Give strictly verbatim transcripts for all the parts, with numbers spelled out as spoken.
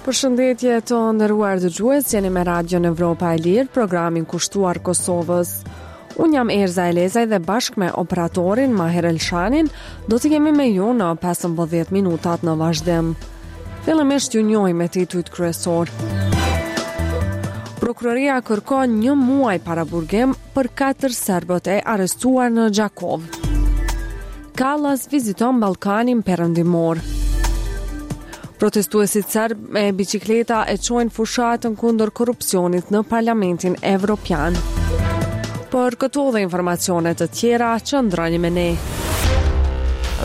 Përshëndetje të nderuar dëgjues, jeni me Radion Evropa e Lirë, programin kushtuar Kosovës. Unë jam Erza Elezaj dhe bashkë me operatorin Maher Elshanin do të jemi me ju në pesëmbëdhjetë minutat në vazhdim. Fillimisht ju njohim me titujt kryesor. Prokuroria kërkon një muaj paraburgim për katër serbët e arrestuar në Gjakovë. Kallas viziton Ballkanin Perëndimor. Protestuesit serb me bicikleta e çojnë fushatën kundër korrupsionit në Parlamentin Evropian. Për këto dhe informacione të tjera, qëndroni me ne.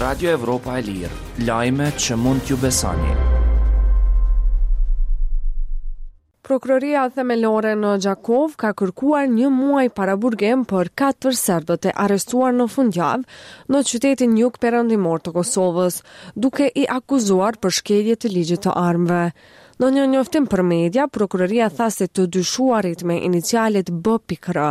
Radio Evropa e Lirë, lajme që mund t'ju besoni. Prokuroria Themelore në Gjakovë ka kërkuar një muaj paraburgim për katër serbët e arrestuar në fundjavë në qytetin jug perëndimor të Kosovës, duke i akuzuar për shkelje të ligjit të armëve. Në një njoftim për media, prokuroria tha se të dyshuarit me inicialet B pikë R,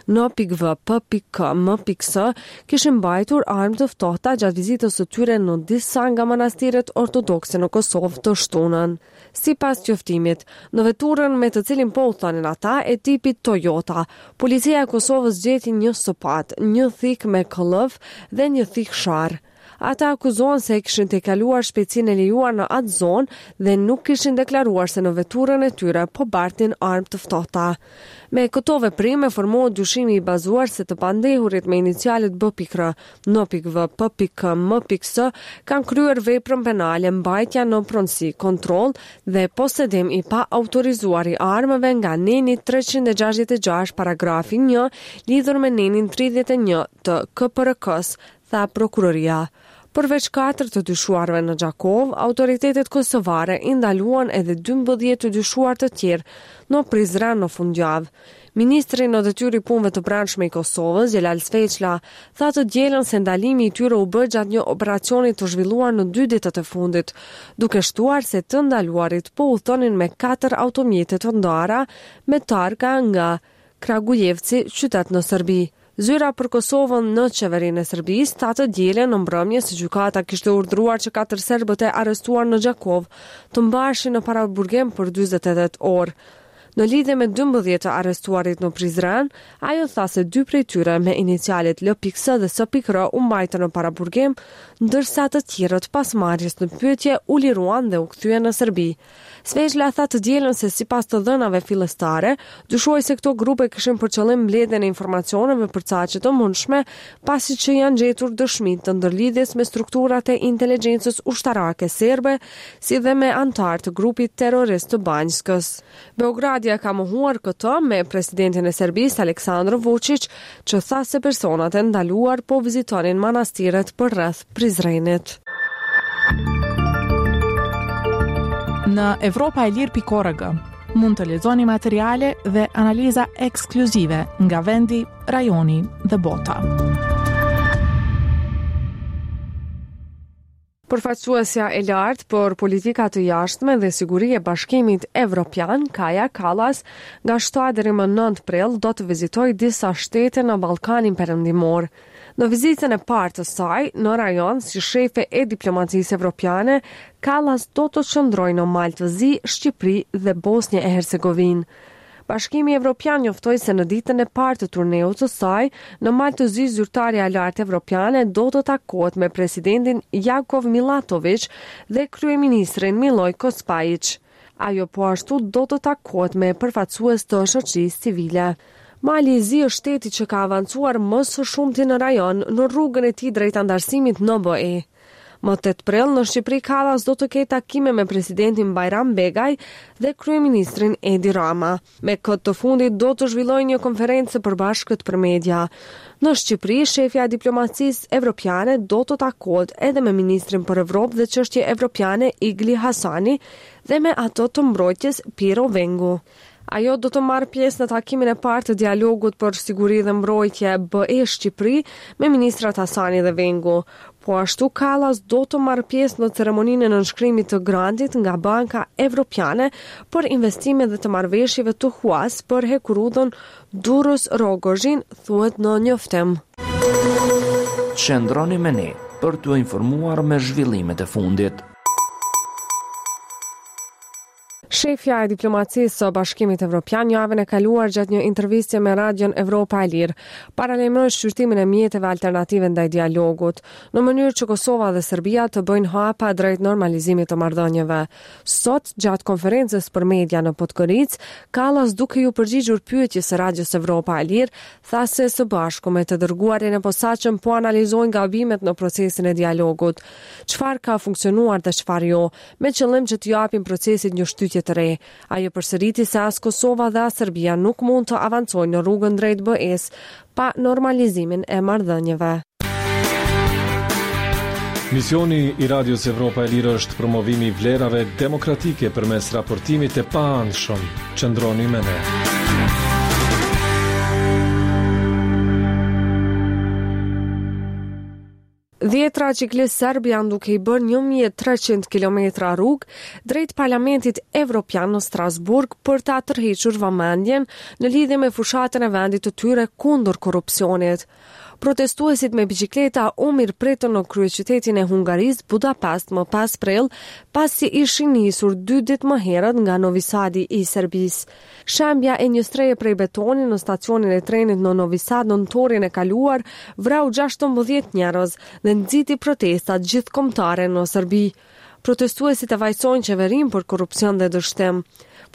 N pikë V, P pikë K, M pikë S kishin mbajtur armë të ftohta gjatë vizitës së tyre në disa nga manastiret ortodokse në Kosovë të shtunën. Sipas njoftimit, në veturën me të cilin po udhtonin ata e tipit Toyota, policia e Kosovës gjeti një sopat, një thikë me këllëf dhe një thikë sharr. Ata akuzohen se kishin tejkaluar shpejtësinë e lejuar në atë zonë dhe nuk kishin deklaruar se në veturën e tyre po bartin armë të ftohta. Me këto veprime formohet dyshimi i bazuar se të pandehurit me inicialet B pikë R, N pikë V, P pikë K, M pikë S kanë kryer veprën penale mbajtja në pronësi, kontroll dhe posedim i paautorizuar i armëve nga neni treqind e gjashtëdhjetë e gjashtë paragrafi një lidhur me nenin tridhjetë e një të K P R K-s, tha prokuroria. Përveç katër të dyshuarve në Gjakovë, autoritetet kosovare i ndaluan edhe dymbëdhjetë të dyshuar të tjerë në Prizren në fundjavë. Ministri në detyrë i punëve të brendshme i Kosovës, Xhelal Sveçla, tha të dielën se ndalimi i tyre u bë gjatë një operacioni të zhvilluar në dy ditët e fundit, duke shtuar se të ndaluarit po udhtonin me katër automjete të ndara me targa nga Kragujevci, qytet në Serbi. Zyra për Kosovën në qeverinë e Serbisë tha të dielën në mbrëmje se gjykata kishte urdhëruar që katër serbët e arrestuar në Gjakovë të mbaheshin në paraburgim për dyzet e tetë orë. Në lidhje me dymbëdhjetë të arrestuarit në Prizren, ajo tha se dy prej tyre me inicialet L pikë S dhe S pikë R u mbajtën në paraburgim, ndërsa të tjerët pas marrjes në pyetje u liruan dhe u kthyen në Serbi. Sveçla tha të dielën se sipas të dhënave fillestare, dyshohej se këto grupe kishin për qëllim mbledhjen e informacioneve për caqe të mundshme, pasi që janë gjetur dëshmi të ndërlidhjes me strukturat e inteligjencës ushtarake serbe, si dhe me anëtarë të grupit terrorist të Banjskës. Beogradi e ka mohuar këtë me presidentin e Serbisë Aleksandr Vučić, që tha se personat e ndaluar po vizitonin manastiret përreth Prizrenit. Në Evropa e Lirë pikë org mund të lexoni materiale dhe analiza ekskluzive nga vendi, rajoni dhe bota. Përfaqësuesja e lartë për politika të jashtme dhe siguri e Bashkimit Evropian, Kaja Kallas, nga shtatë deri më nëntë prill do të vizitojë disa shtete në Ballkanin Perëndimor. Në vizitën e parë të saj në rajon si shefe e diplomacisë evropiane, Kallas do të qëndrojë në Mal të Zi, Shqipëri dhe Bosnjë e Hercegovinë. Bashkimi Evropian njoftoi se në ditën e parë të turneut të saj, në Mal të Zi zyrtarja e lartë evropiane do të takohet me presidentin Jakov Milatović dhe kryeministrin Milojko Spajić. Ajo po ashtu do të takohet me përfaqësues të shoqërisë civile. Mali i Zi është shteti që ka avancuar më së shumti në rajon në rrugën e tij drejt anëtarësimit në B E. Më tetë prill në Shqipëri Kallas do të ketë takime me presidentin Bajram Begaj dhe kryeministrin Edi Rama. Me këtë të fundit do të zhvillojë një konferencë të përbashkët për media. Në Shqipëri, shefja e diplomacisë evropiane do të takohet edhe me ministrin për Evropë dhe çështje evropiane Igli Hasani dhe me ato të mbrojtjes Pirro Vengu. Ajo do të marrë pjesë në takimin e parë të dialogut për siguri dhe mbrojtje B E Shqipëri me ministrat Hasani dhe Vengu. Po ashtu Kallas do të marrë pjesë në ceremoninë e nënshkrimit të grantit nga Banka Evropiane për investime dhe të marrëveshjeve të huas për hekurudhën Durrës-Rrogozhin, thuhet në njoftim. Qëndroni me ne për t'u informuar me zhvillimet e fundit. Shefja e diplomacisë së Bashkimit Evropian javën e kaluar gjatë një interviste me Radion Evropa e Lirë paralajmëroi shqyrtimin e mjeteve alternative ndaj dialogut, në mënyrë që Kosova dhe Serbia të bëjnë hapa drejt normalizimit të marrëdhënieve. Sot, gjatë konferencës për media në Podgoricë, Kallas duke ju përgjigjur pyetjes së Radios Evropa e Lirë, tha se së bashku me të dërguarin e posaçëm po analizojnë gabimet në procesin e dialogut, çfarë ka funksionuar dhe çfarë jo, me qëllim që të japin procesit një shtytje të re. Ajo përsëriti se as Kosova dhe as Serbia nuk mund të avancojnë në rrugën drejt B E-s pa normalizimin e marrëdhënieve. Misioni i Radios Evropa e Lirë është promovimi i vlerave demokratike përmes raportimit të paanshëm. Qëndroni me ne. Dhjetra ciklistë serb janë duke i bërë një mijë e treqind kilometra rrugë drejt Parlamentit Evropian në Strasburg për ta tërhequr vëmendjen në lidhje me fushatën e vendit të tyre kundër korrupsionit. Protestuesit me bicikleta u mirëpritën në kryeqytetin e Hungarisë, Budapest, më pesë prill, pasi ishin nisur dy ditë më herët nga Novi Sadi i Serbisë. Shembja e një strehe prej betoni në stacionin e trenit në Novi Sad në nëntorin e kaluar vrau gjashtëmbëdhjetë njerëz dhe nxiti protestat gjithëkombëtare në Serbi. Protestuesit e fajësojnë qeverinë për korrupsion dhe dështim.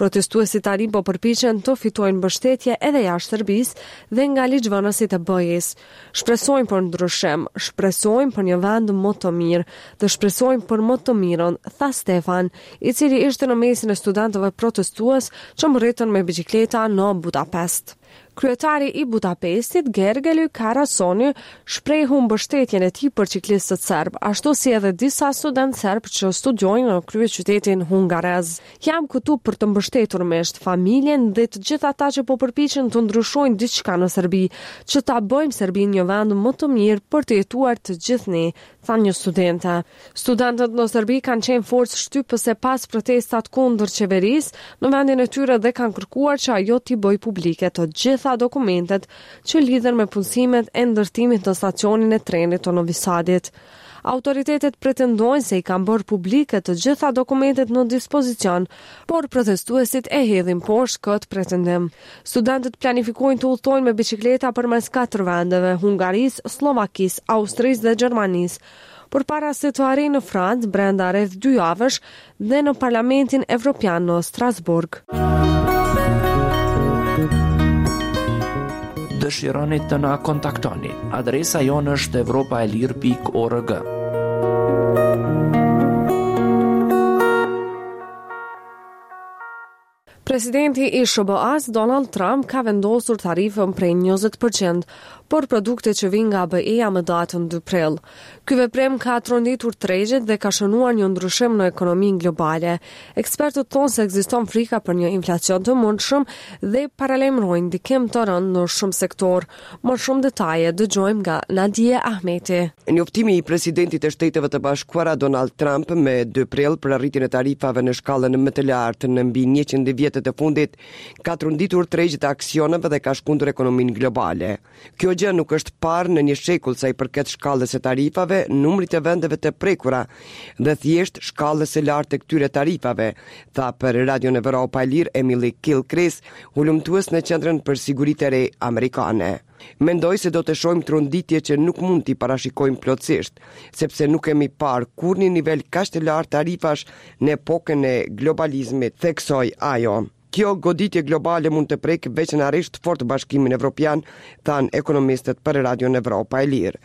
Protestuesit tani po përpiqen të fitojnë mbështetje edhe jashtë Serbisë dhe nga ligjvënësit e B E-s. "Shpresojmë për ndryshim, shpresojmë për një vend më të mirë dhe shpresojmë për më të mirën", tha Stefan, i cili ishte në mesin e studentëve protestues që mbërritën me bicikleta në Budapest. Kryetari i Budapestit, Gergely Karácsony, shprehu mbështetjen e tij për ciklistët serb, ashtu si edhe disa studentë serb që studiojnë në kryeqytetin hungarez. "Jam këtu për të mbështetur miqtë, familjen dhe të gjithë ata që po përpiqen të ndryshojnë diçka në Serbi, që ta bëjmë Serbinë një vend më të mirë për të jetuar të gjithë ne", tha një studente. Studentët në Serbi kanë qenë forcë shtypëse pas protestat kundër qeverisë në vendin e tyre dhe kanë kërkuar që ajo t'i bëjë publike të gjitha dokumentet që lidhen me punësimet e ndërtimit të stacionin e trenit të Novi Sadit. Autoritetet pretendojnë se i kanë bërë publike të gjitha dokumentet në dispozicion, por protestuesit e hedhin poshtë këtë pretendim. Studentët planifikojnë të udhtojnë me bicikleta përmes katër vendeve, Hungarisë, Sllovakisë, Austrisë dhe Gjermanisë, por para se të arrijnë në Francë brenda rreth dy javësh dhe në Parlamentin Evropian në Strasburg. Dëshironi të na kontaktoni? Adresa jonë është evropaelir pikë org. Presidenti i S H B A-s Donald Trump ka vendosur tarifën prej njëzet për qind për produkte që vijnë nga B E-ja më datën dy prill. Ky veprim ka tronditur tregjet dhe ka shënuar një ndryshim në ekonominë globale. Ekspertët thonë se ekziston frika për një inflacion të mundshëm dhe paralajmërojnë ndikim të rëndë në shumë sektor. Më shumë detaje dëgjojmë nga Nadie Ahmeti. Njoftimi i presidentit të Shteteve të Bashkuara Donald Trump me dy prill për rritjen e tarifave në shkallën më të lartë në mbi njëqind vjetët e fundit ka tronditur tregjet e aksioneve dhe ka shkundur ekonominë globale. Kjo gjë nuk është parë në një shekull sa i përket shkallës së tarifave, numrit të vendeve të prekura dhe thjesht shkallës së lartë të këtyre tarifave, tha për Radion Evropa e Lirë Emily Gilchrist, hulumtues në Qendrën për Siguri të Re Amerikane. "Mendoj se do të shohim tronditje që nuk mund t'i parashikojmë plotësisht, sepse nuk kemi parë kurrë një nivel kaq të lartë tarifash në epokën e globalizmit", theksoi ajo. Kjo goditje globale mund të prekë veçanërisht fort Bashkimin Evropian, thanë ekonomistët për Radion Evropa e Lirë.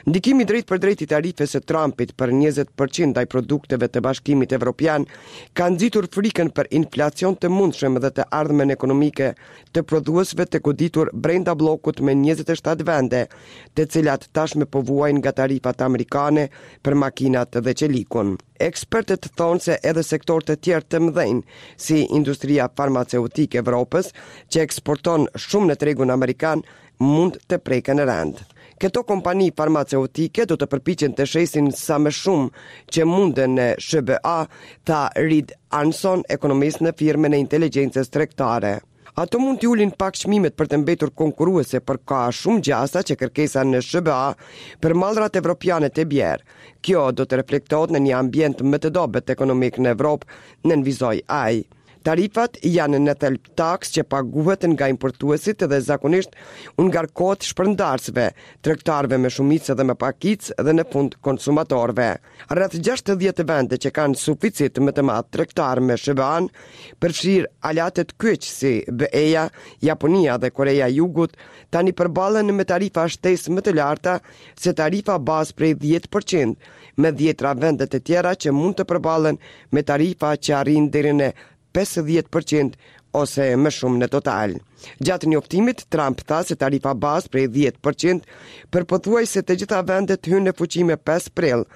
Ndikimi drejt për drejt i tarifës së Trumpit për njëzet për qind ndaj produkteve të Bashkimit Evropian ka nxitur frikën për inflacion të mundshëm dhe të ardhmen ekonomike të prodhuesve të goditur brenda bllokut me njëzet e shtatë vende, të cilat tashmë po vuajnë nga tarifat amerikane për makinat dhe çelikun. Ekspertët thonë se edhe sektorë të tjerë të mëdhenj, si industria farmaceutike e Evropës, që eksporton shumë në tregun amerikan, mund të preken rëndë. Këto kompani farmaceutike do të përpiqen të shesin sa më shumë që munden në S H B A, tha Reid Arnson, ekonomist në firmën e inteligjencës tregtare. "Ato mund t'i ulin pak çmimet për të mbetur konkurruese, por ka shumë gjasa që kërkesa në S H B A për mallrat evropiane të bjerë. Kjo do të reflektohet në një ambient më të dobët ekonomik në Evropë", nënvizoi ai. Tarifat janë në thelb taksë që paguhet nga importuesit dhe zakonisht u ngarkohet shpërndarësve, tregtarëve me shumicë dhe me pakicë dhe në fund konsumatorëve. Rreth gjashtëdhjetë vende që kanë suficit më të madh tregtar me S H B A-n, përfshirë aleatët kyç si B E-ja, Japonia dhe Koreja e Jugut, tani përballen me tarifa shtesë më të larta se tarifa bazë prej dhjetë për qind, me dhjetra vende të tjera që mund të përballen me tarifa që arrijnë deri në pesëdhjetë për qind ose më shumë në total. Gjatë njoftimit, Trump tha se tarifa bazë prej dhjetë për qind për pothuajse të gjitha vendet hyn në fuqi me pesë prill,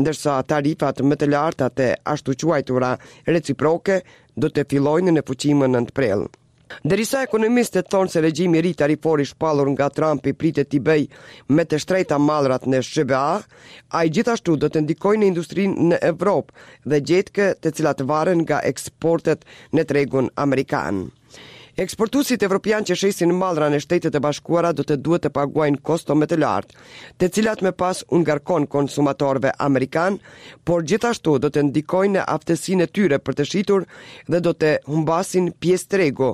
ndërsa tarifat më të larta të ashtuquajtura reciproke do të fillojnë në fuqi më nëntë prill. Derisa ekonomistët thonë se regjimi i ri tarifor i shpallur nga Trumpi pritet t'i bëj më të shtrenjta mallrat në S H B A, ai gjithashtu do të ndikojë në industrinë në Evropë dhe gjetkë, të cilat varen nga eksportet në tregun amerikan. Eksportuesit evropian që shesin mallra në Shtetet e Bashkuara do të duhet të paguajnë kosto më të lartë, të cilat më pas u ngarkon konsumatorëve amerikan, por gjithashtu do të ndikojnë në aftësinë e tyre për të shitur dhe do të humbasin pjesë tregu,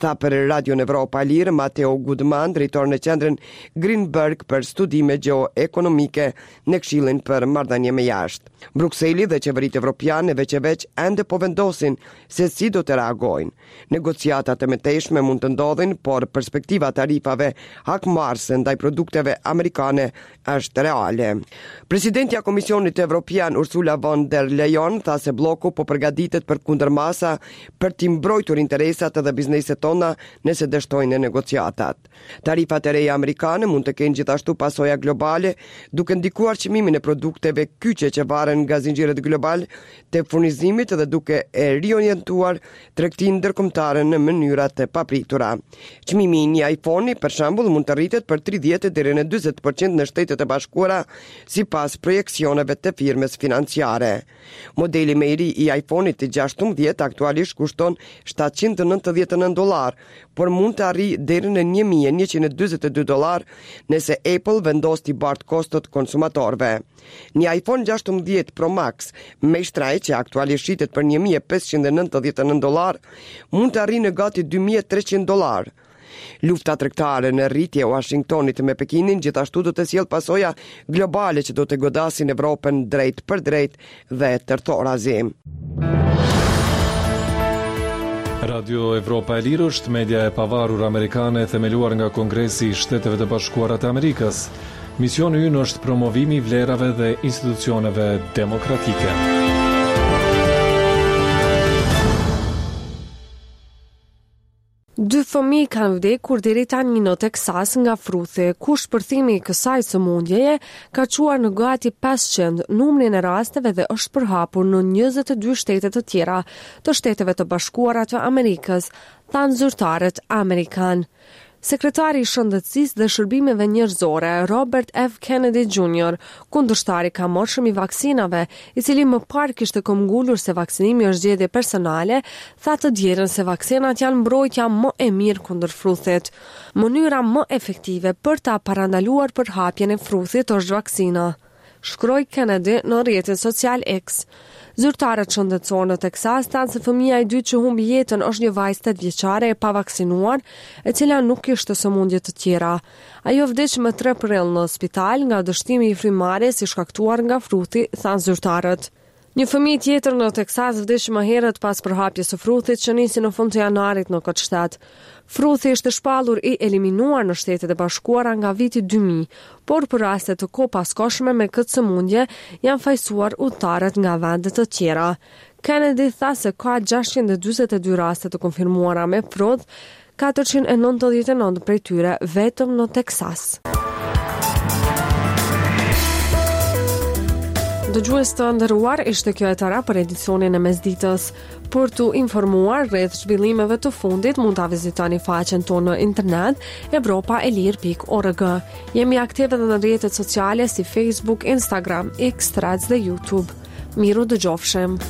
tha për Radion Evropa e Lirë Mateo Goodman, drejtor në qendrën Greenberg për studime gjeoekonomike në Këshillin për Marrëdhënie me Jashtë. Brukseli dhe qeveritë evropiane veç e veç ende po vendosin se si do të reagojnë. Negociatat e mëtejshme mund të ndodhin, por perspektiva tarifave hakmarrëse ndaj produkteve amerikane është reale. Presidentja e Komisionit Evropian Ursula von der Leyen tha se bloku po përgatitet për kundërmasa për t'i mbrojtur interesat edhe bizneset tona nëse dështojnë në negociatat. Tarifat e reja amerikane mund të kenë gjithashtu pasoja globale, duke ndikuar çmimin e produkteve kyçe që varen nga zinxhirët global të furnizimit dhe duke e riorientuar tregtinë ndërkombëtare në mënyra të papritura. Çmimi i një iPhone-i, për shembull, mund të rritet për tridhjetë deri në dyzet për qind në Shtetet e Bashkuara, sipas projeksioneve të firmës financiare. Modeli më i ri i iPhone-it të gjashtëmbëdhjetë aktualisht kushton shtatëqind e nëntëdhjetë e nëntë dollar, por mund të arrijë deri në një mijë e njëqind e dyzet e dy dollar nëse Apple vendos t'i bart kostot konsumatorëve. Një iPhone gjashtëmbëdhjetë Pro Max më i shtrenjtë, që aktualisht shitet për një mijë e pesëqind e nëntëdhjetë e nëntë dollar, mund të arrijë në gati dy mijë e treqind dollar. Lufta tregtare në rritje e Washingtonit me Pekinin gjithashtu do të sjellë pasoja globale që do të godasin Evropën drejt për drejt dhe tërthorazi. Radio Evropa e Lirë është media e pavarur amerikane e themeluar nga Kongresi i Shteteve të Bashkuara të Amerikës. Misioni ynë është promovimi i vlerave dhe institucioneve demokratike. Dy fëmijë kanë vdekur deri tani në Teksas nga fruthi, ku shpërthimi i kësaj sëmundjeje ka çuar në gati pesëqind numrin e rasteve dhe është përhapur në njëzet e dy shtete të tjera të Shteteve të Bashkuara të Amerikës, thanë zyrtarët amerikan. Sekretari i Shëndetësisë dhe Shërbimeve Njerëzore, Robert F. Kennedy Junior, kundërshtari i kamotshëm i vaksinave, i cili më parë kishte këmbgulur se vaksinimi është zgjedhje personale, tha të dielën se vaksinat janë mbrojtja më e mirë kundër fruthit. Mënyra më efektive për ta parandaluar përhapjen e fruthit është vaksina, shkroi Kennedy në rrjetin social X. Zyrtarët shëndetësor në Teksas thanë se fëmija i dytë që humbi jetën është një vajzë tetë vjeçare e pavaksinuar, e cila nuk kishte sëmundje të tjera. Ajo vdiq më tre prill në spital nga dështimi i frymëmarrjes i shkaktuar nga fruthi, thanë zyrtarët. Një fëmijë tjetër në Teksas vdiq më herët pas përhapjes së fruthit që nisi në fund të janarit në këtë shtet. Fruthi ishte shpallur i eliminuar në Shtetet e Bashkuara nga viti dy mijë, por për raste të kopaskoshme me këtë sëmundje janë fajsuar udhëtarët nga vende të tjera. Kennedy tha se ka gjashtëqind e dyzet e dy raste të konfirmuara me fruth, katërqind e nëntëdhjetë e nëntë prej tyre vetëm në Teksas. Dëgjues të nderuar, ishte kjo e tëra për edicionin e mesditës. Për t'u informuar rreth zhvillimeve të fundit, mund ta vizitoni faqen tonë në internet evropaelir pikë org. Jemi aktive edhe në rrjetet sociale si Facebook, Instagram, X, Threads dhe YouTube. Miru dëgjofshim.